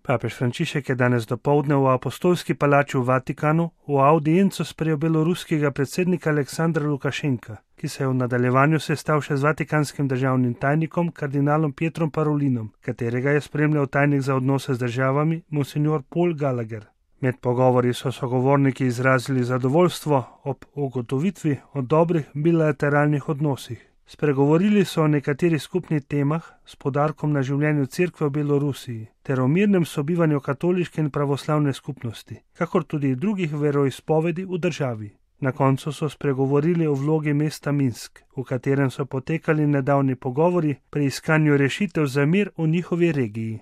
Papež Frančišek je danes dopoldne v Apostolski palači v Vatikanu v audienco sprejel beloruskega predsednika Aleksandra Lukašenka, ki se je v nadaljevanju sestal še z vatikanskim državnim tajnikom kardinalom Pietrom Parolinom, katerega je spremljal tajnik za odnose z državami monsignor Paul Gallagher. Med pogovori so sogovorniki izrazili zadovoljstvo ob ugotovitvi o dobrih bilateralnih odnosih. Spregovorili so o nekaterih skupnih temah s poudarkom na življenju Cerkve v Belorusiji ter o mirnem sobivanju katoliške in pravoslavne skupnosti, kakor tudi drugih veroizpovedi v državi. Na koncu so spregovorili o vlogi mesta Minsk, v katerem so potekali nedavni pogovori pri iskanju rešitev za mir v njihovi regiji.